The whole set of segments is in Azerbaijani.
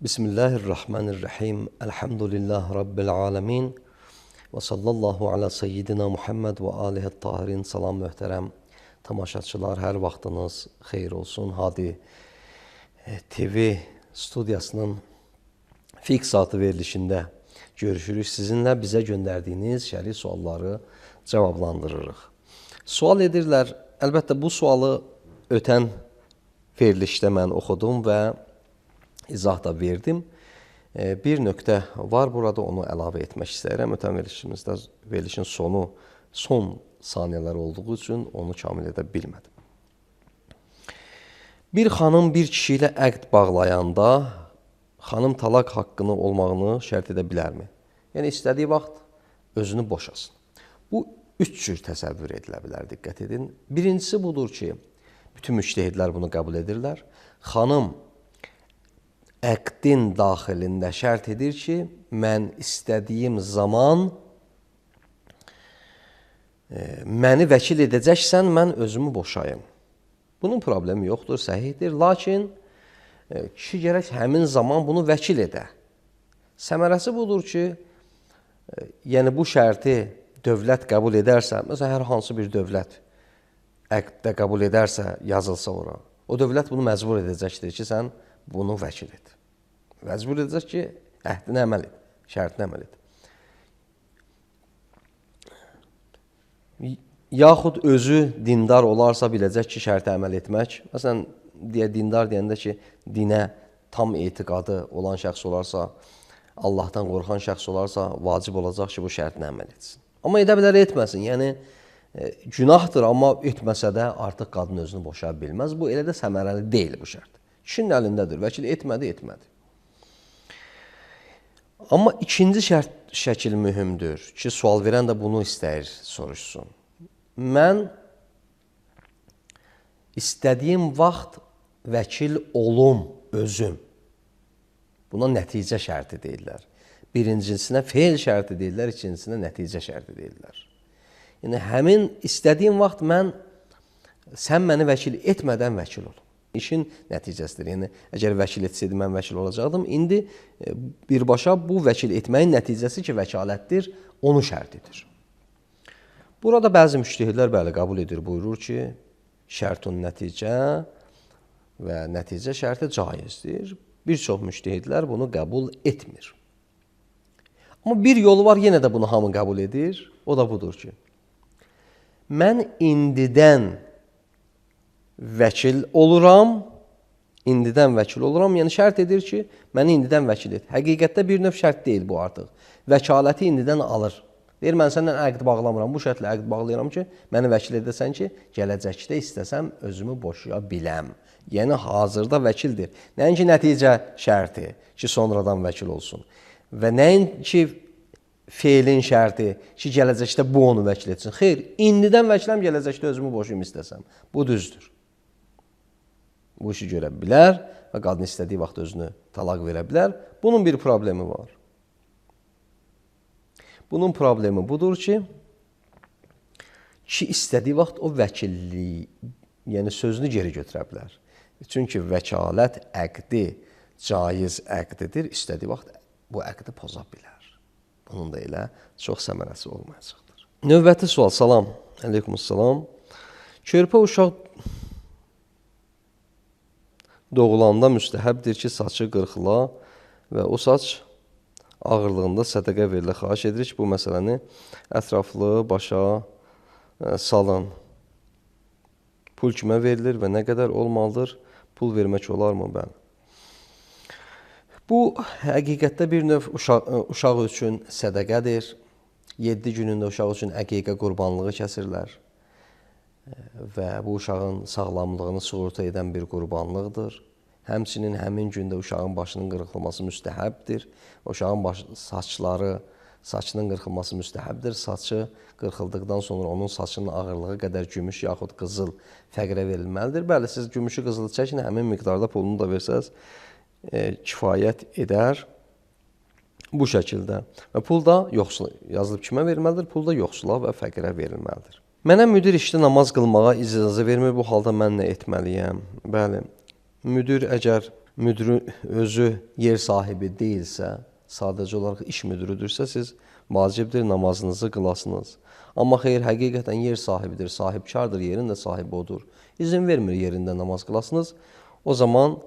Bismillahirrahmanirrahim. Elhamdülillah Rabbil alemin. Və sallallahu ala seyyidina Muhammed və alihi tahirin. Salam möhtərəm tamaşaçılar, hər vaxtınız xeyir olsun. Hadi TV studiyasının fiqh saatı verilişində görüşürük. Sizinlə bizə göndərdiyiniz şəri sualları cavablandırırıq. Sual edirlər. Əlbəttə bu sualı ötən verilişdə mən oxudum və izah da verdim. Bir nöqtə var burada, onu əlavə etmək istəyirəm. Ötən verilişimizdə verilişin son saniyələr olduğu üçün onu kamil edə bilmədim. Bir xanım bir kişi ilə əqd bağlayanda xanım talaq haqqını olmağını şərt edə bilərmi? Yəni istədiyi vaxt özünü boşasın. Bu üç cür təsəvvür edilə bilər, diqqət edin. Birincisi budur ki, bütün müştəhidlər bunu qəbul edirlər. Xanım əqdin daxilində şərt edir ki, mən istədiyim zaman məni vəkil edəcəksən, mən özümü boşayım. Bunun problemi yoxdur, səhihdir. Lakin kişi gərək həmin zaman bunu vəkil edə. Səmərəsi budur ki, yəni bu şərti dövlət qəbul edərsə, məsələn, hər hansı bir dövlət əqddə qəbul edərsə, yazılsa ora, o dövlət bunu məcbur edəcəkdir ki, sən bunu vəkil et. Məcbur edəcək ki, əhdinə əməl et, şərtinə əməl et. Yaxud özü dindar olarsa biləcək ki, şərtə əməl etmək. Məsələn, dindar deyəndə ki, dinə tam etiqadı olan şəxs olarsa, Allahdan qorxan şəxs olarsa, vacib olacaq ki, bu şərtinə əməl etsin. Amma edə bilər, etməsin. Yəni, günahdır, amma etməsə də artıq qadın özünü boşaya bilməz. Bu, elə də səmərəli deyil bu şərt. Kişinin əlindədir. Vəkil etmədi. Amma ikinci şəkil mühümdür ki, sual verən də bunu istəyir, soruşsun. Mən istədiyim vaxt vəkil olum özüm. Buna nəticə şərti deyirlər. Birincinsinə feil şərti deyirlər, ikincinsinə nəticə şərti deyirlər. Yəni, həmin istədiyim vaxt sən məni vəkil etmədən vəkil olum. İşin nəticəsidir. Yəni, əgər vəkil etsəydi, mən vəkil olacaqdım. İndi birbaşa bu vəkil etməyin nəticəsi ki, vəkalətdir, onu şərt edir. Burada bəzi müştəhidlər bəli qəbul edir, buyurur ki, şərtun nəticə və nəticə şərti caizdir. Bir çox müştəhidlər bunu qəbul etmir. Amma bir yolu var, yenə də bunu hamı qəbul edir. O da budur ki, mən indidən vəkil oluram, yəni şərt edir ki, məni indidən vəkil et. Həqiqətdə bir növ şərt deyil bu artıq. Vəkaləti indidən alır. Deyir, mən səndən əqd bağlamıram, bu şərtlə əqd bağlayıram ki, məni vəkil edəsən ki, gələcəkdə istəsəm özümü boşaya biləm. Yəni, hazırda vəkildir. Nəinki nəticə şərti ki, sonradan vəkil olsun. Və nəinki feilin şərti ki, gələcəkdə bu onu vəkil etsin. Xeyr, indidən vəkiləm, gələcəkdə özümü boşayım istəsəm. Bu düzdür. Bu işi görə bilər və qadın istədiyi vaxt özünü talaq verə bilər. Bunun bir problemi var. Bunun problemi budur ki, istədiyi vaxt o vəkilliyi, yəni sözünü geri götürə bilər. Çünki vəkalət əqdi caiz əqdidir, istədiyi vaxt bu əqdi poza bilər. Bunun da elə çox səmərəsi olmayacaqdır. Növbəti sual, salam, əleykumussalam. Körpə uşaq doğulanda müstəhəbdir ki, saçı qırxıla və o saç ağırlığında sədəqə verilə. Xahiş edirik ki, bu məsələni ətraflı başa salın. Pul kimə verilir və nə qədər olmalıdır? Pul vermək olarmı mən? Bu, həqiqətdə bir növ uşaq üçün sədəqədir. 7 günündə uşaq üçün əqiqə qurbanlığı kəsirlər. Və bu uşağın sağlamlığını sığorta edən bir qurbanlıqdır. Həmçinin həmin gündə uşağın başının qırxılması müstəhəbdir. Uşağın saçının qırxılması müstəhəbdir. Saçı qırxıldıqdan sonra onun saçının ağırlığı qədər gümüş yaxud qızıl fəqirə verilməlidir. Bəli, siz gümüşü qızılı çəkin, həmin miqdarda pulunu da versəz kifayət edər. Bu şəkildə. Və pul da yoxsul, yazılıb kimə verilməlidir? Pul da yoxsula və fəqirə verilməlidir. Mənə müdir işdə namaz qılmağa icazə vermir, bu halda mən nə etməliyəm? Bəli, əgər müdürü özü yer sahibi deyilsə, sadəcə olaraq iş müdürüdürsə, siz vacibdir namazınızı qılasınız. Amma xeyr, həqiqətən yer sahibidir, sahibkardır, yerin də sahibi odur. İzin vermir yerində namaz qılasınız, o zaman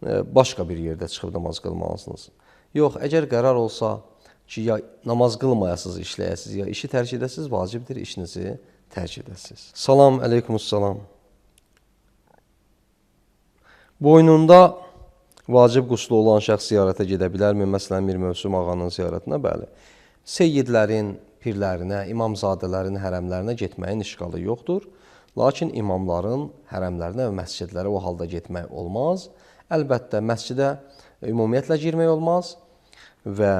başqa bir yerdə çıxıb namaz qılmalısınız. Yox, əgər qərar olsa ki, ya namaz qılmayasınız, işləyəsiniz, ya işi tərk edəsiniz, vacibdir işinizi tərk edəsiniz. Salam, əleykumussalam. Boynunda vacib quslu olan şəxs ziyarətə gedə bilərmi? Məsələn, Mir Mövsüm ağanın ziyarətinə, bəli. Seyyidlərin, pirlərinə, imamzadələrin hərəmlərinə getməyin işğalı yoxdur. Lakin imamların hərəmlərinə və məscidlərə o halda getmək olmaz. Əlbəttə, məscidə ümumiyyətlə girmək olmaz və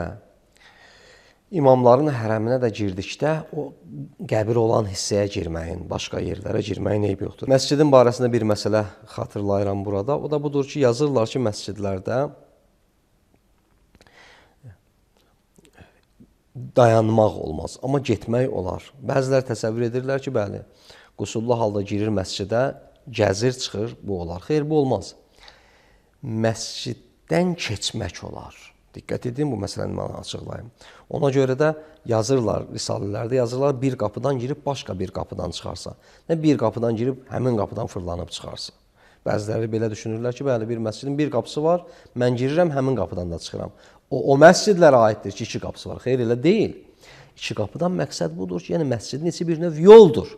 imamların hərəminə də girdikdə o qəbir olan hissəyə girməyin, başqa yerlərə girməyin eybi yoxdur. Məscidin barəsində bir məsələ xatırlayıram burada. O da budur ki, yazırlar ki, məscidlərdə dayanmaq olmaz, amma getmək olar. Bəzilər təsəvvür edirlər ki, bəli, qusullu halda girir məscidə, gəzir, çıxır, bu olar. Xeyr, bu olmaz. Məsciddən keçmək olar. Diqqət edin, bu məsələni mən açıqlayım. Ona görə də yazırlar, risalələrdə yazırlar, bir qapıdan girib başqa bir qapıdan çıxarsa. Nə bir qapıdan girib həmin qapıdan fırlanıb çıxarsa. Bəziləri belə düşünürlər ki, bəli, bir məscidin bir qapısı var, mən girirəm, həmin qapıdan da çıxıram. O məscidlərə aiddir ki, iki qapısı var. Xeyr, elə deyil. İki qapıdan məqsəd budur ki, yəni məscidin içi bir növ yoldur.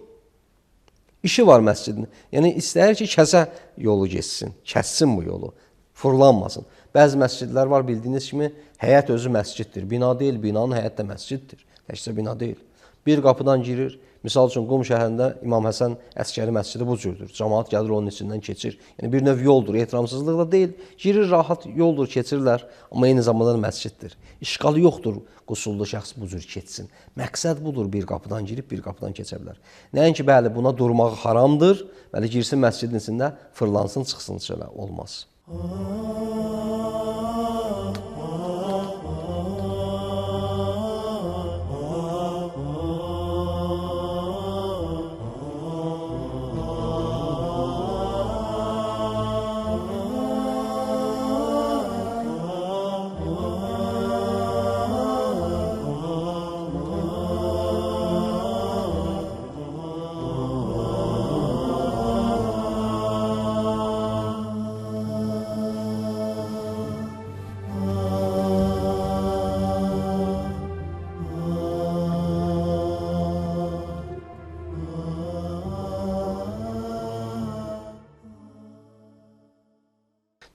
İşi var məscidin. Yəni istəyir ki, kəsə yolu geçsin, kəssin bu yolu, fırlanmasın. Bəzi məscidlər var, bildiyiniz kimi, həyət özü məsciddir. Bina deyil, binanın həyət də məsciddir. Təkcə bina deyil. Bir qapıdan girir. Misal üçün, Qum şəhərində İmam Həsən Əskəri məscidi bu cürdür. Cəmaat gəlir, onun içindən keçir. Yəni, bir növ yoldur, ehtiramsızlıq da deyil. Girir, rahat yoldur, keçirlər. Amma eyni zamanda məsciddir. İşğalı yoxdur, qusullu şəxs bu cür keçsin. Məqsəd budur, bir qapıdan girib, bir qapıdan keçə bilər. Nəinki, bəli, buna durmaq haramdır. Bəli, girsin məscidin içində, fırlansın, çıxsın, şöyle olmaz.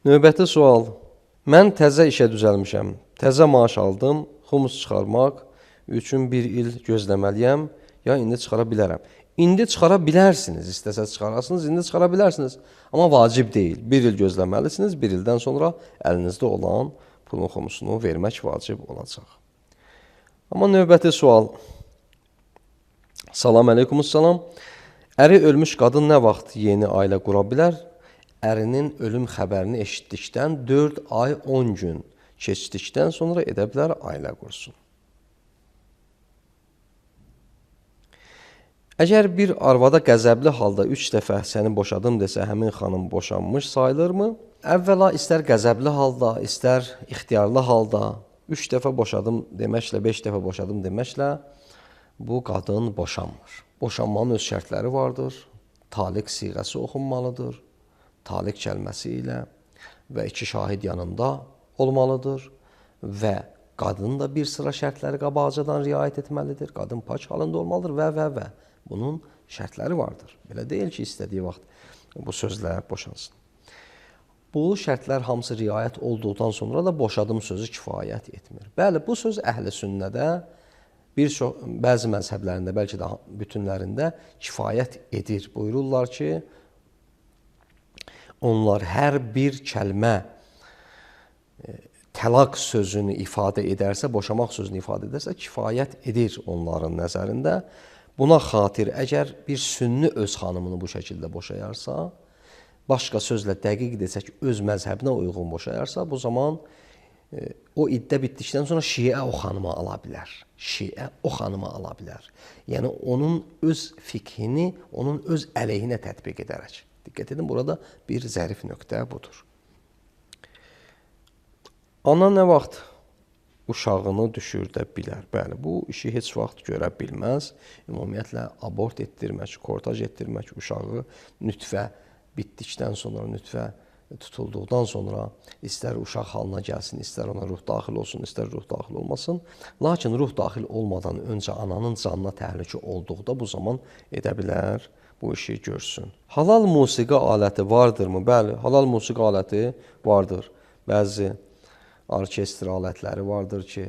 Növbəti sual. Mən təzə işə düzəlmişəm. Təzə maaş aldım. Xumus çıxarmaq üçün bir il gözləməliyəm, ya indi çıxara bilərəm. İndi çıxara bilərsiniz. İstəsəz çıxarasınız, indi çıxara bilərsiniz. Amma vacib deyil. Bir il gözləməlisiniz. Bir ildən sonra əlinizdə olan pulun xumusunu vermək vacib olacaq. Amma növbəti sual. Salam əleykumussalam. Əri ölmüş qadın nə vaxt yeni ailə qura bilər? Ərinin ölüm xəbərini eşitdikdən 4 ay 10 gün keçdikdən sonra edə bilər ailə qursun. Əgər bir arvada qəzəbli halda 3 dəfə səni boşadım desə, həmin xanım boşanmış sayılırmı? Əvvəla istər qəzəbli halda, istər ixtiyarlı halda 3 dəfə boşadım deməklə, 5 dəfə boşadım deməklə bu qadın boşanmır. Boşanmanın öz şərtləri vardır. Taliq siğəsi oxunmalıdır. Taliq kəlməsi ilə və 2 şahid yanında olmalıdır və qadın da bir sıra şərtləri qabaqcadan riayət etməlidir. Qadın pak halında olmalıdır və. Bunun şərtləri vardır. Belə deyil ki, istədiyi vaxt bu sözlə boşansın. Bu şərtlər hamısı riayət olduqdan sonra da boşadım sözü kifayət etmir. Bəli, bu söz əhl-i sünnədə bəzi məzhəblərində, bəlkə də bütünlərində kifayət edir. Buyururlar ki, onlar hər bir kəlmə təlaq sözünü ifadə edərsə, boşamaq sözünü ifadə edərsə, kifayət edir onların nəzərində. Buna xatir əgər bir sünni öz xanımını bu şəkildə boşayarsa, başqa sözlə dəqiq desək, öz məzhəbinə uyğun boşayarsa, bu zaman o iddə bitdikdən sonra şiə o xanımı ala bilər. Şiə o xanımı ala bilər. Yəni, onun öz fikhini, onun öz əleyhinə tətbiq edərək. Diqqət edin, burada bir zərif nöqtə budur. Ana nə vaxt uşağını düşürdə bilər? Bəli, bu işi heç vaxt görə bilməz. Ümumiyyətlə, abort etdirmək, kortaj etdirmək, uşağı nütfə bitdikdən sonra, nütfə tutulduqdan sonra istər uşaq halına gəlsin, istər ona ruh daxil olsun, istər ruh daxil olmasın. Lakin ruh daxil olmadan öncə ananın canına təhlükə olduqda bu zaman edə bilər, bu işi görsün. Halal musiqi aləti vardırmı? Bəli, halal musiqi aləti vardır. Bəzi orkestr alətləri vardır ki,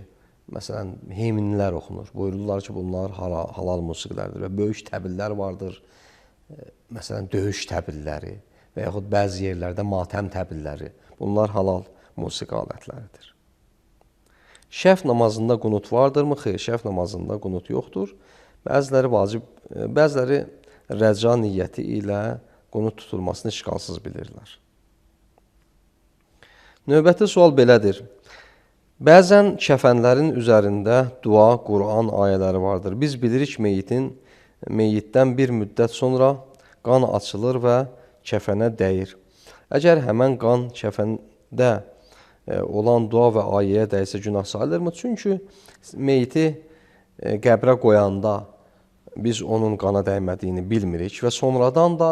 məsələn, himnlər oxunur. Buyururlar ki, bunlar halal musiqilərdir və böyük təbillər vardır. Məsələn, döyüş təbilləri və yaxud bəzi yerlərdə matəm təbilləri. Bunlar halal musiqi alətləridir. Şəf namazında qunut vardırmı? Xeyr, şəf namazında qunut yoxdur. Bəziləri vacib, bəziləri rəca niyyəti ilə qunut tutulmasını işqalsız bilirlər. Növbəti sual belədir. Bəzən kəfənlərin üzərində dua, Quran ayələri vardır. Biz bilirik meyyitdən bir müddət sonra qan açılır və kəfənə dəyir. Əgər həmən qan kəfəndə olan dua və ayəyə dəysə günah sayılırmı? Çünki meyyiti qəbrə qoyanda biz onun qana dəymədiyini bilmirik və sonradan da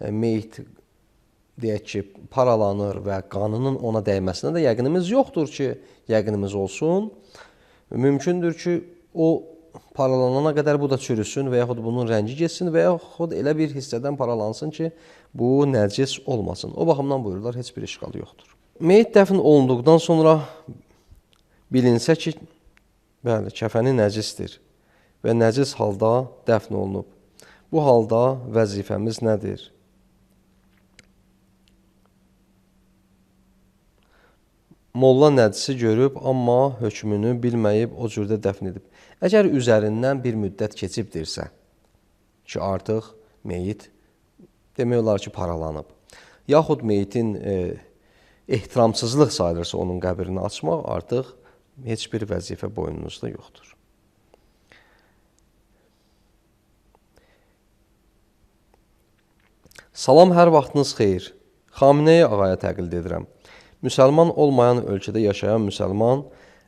meyyit deyək ki, paralanır və qanının ona dəyməsinə də yəqinimiz yoxdur ki, yəqinimiz olsun. Mümkündür ki, o paralanana qədər bu da çürüsün və yaxud bunun rəngi geçsin və yaxud elə bir hissədən paralansın ki, bu nəcis olmasın. O baxımdan buyururlar, heç bir işğalı yoxdur. Meyit dəfn olunduqdan sonra bilinsə ki, bəli, kəfəni nəcisdir və nəcis halda dəfn olunub. Bu halda vəzifəmiz nədir? Molla nəcisi görüb, amma hökmünü bilməyib o cürdə dəfn edib. Əgər üzərindən bir müddət keçibdirsə ki, artıq meyit demək olar ki, paralanıb, yaxud meyitin ehtiramsızlıq sayılırsa onun qəbrini açmaq, artıq heç bir vəzifə boynunuzda yoxdur. Salam, hər vaxtınız xeyir. Xameneyi ağaya təqlid edirəm. Müsəlman olmayan ölkədə yaşayan müsəlman,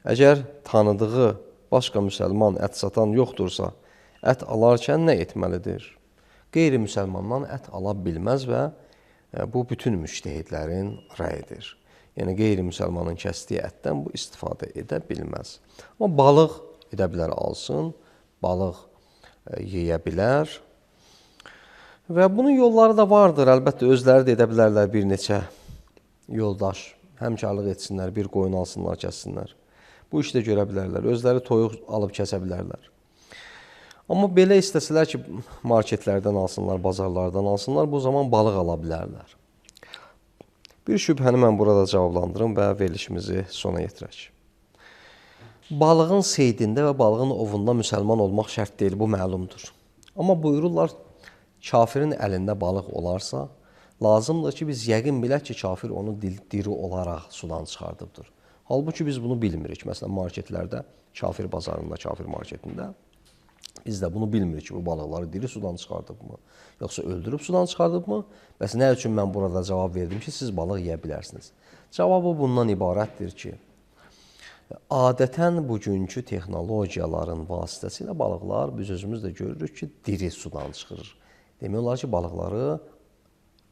əgər tanıdığı başqa müsəlman ət satan yoxdursa, ət alarkən nə etməlidir? Qeyri-müsəlmandan ət ala bilməz və bu bütün müştəhidlərin rəyidir. Yəni, qeyri-müsəlmanın kəsdiyi ətdən bu istifadə edə bilməz. Amma balıq edə bilər, alsın, balıq yeyə bilər və bunun yolları da vardır. Əlbəttə, özləri də edə bilərlər bir neçə yoldaş. Həmkarlıq etsinlər, bir qoyun alsınlar, kəssinlər. Bu işdə görə bilərlər. Özləri toyuq alıb kəsə bilərlər. Amma belə istəsələr ki, marketlərdən alsınlar, bazarlardan alsınlar, bu zaman balıq ala bilərlər. Bir şübhəni mən burada cavablandırım və verilişimizi sona yetirək. Balığın seydində və balığın ovunda müsəlman olmaq şərt deyil, bu məlumdur. Amma buyururlar, kafirin əlində balıq olarsa, lazımdır ki, biz yəqin bilək ki, kafir onu diri olaraq sudan çıxardıbdır. Halbuki biz bunu bilmirik. Məsələn, marketlərdə, kafir bazarında, kafir marketində biz də bunu bilmirik ki, bu balıqları diri sudan çıxardıbmı, yoxsa öldürüb sudan çıxardıbmı? Bəs nə üçün mən burada cavab verdim ki, siz balıq yeyə bilərsiniz? Cavabı bundan ibarətdir ki, adətən bugünkü texnologiyaların vasitəsilə balıqlar, biz özümüz də görürük ki, diri sudan çıxırır. Demək olar ki, balıqları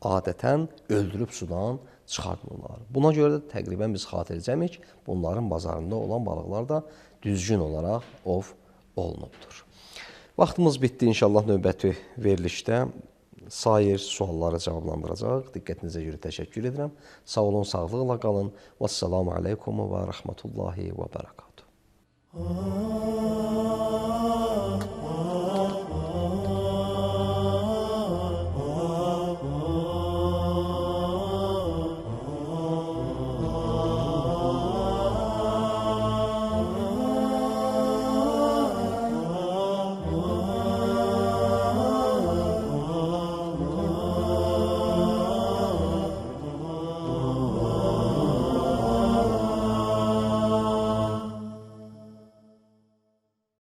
adətən öldürüb sudan çıxartmırlar. Buna görə də təqribən biz xatircəmik, bunların bazarında olan balıqlar da düzgün olaraq ov olunubdur. Vaxtımız bitdi, inşallah növbəti verilişdə sair sualları cavablandıracaq. Diqqətinizə görə təşəkkür edirəm. Sağ olun, sağlıqla qalın. Vəssalamu aleykum və rəhmətullahi və bərəkatuhu.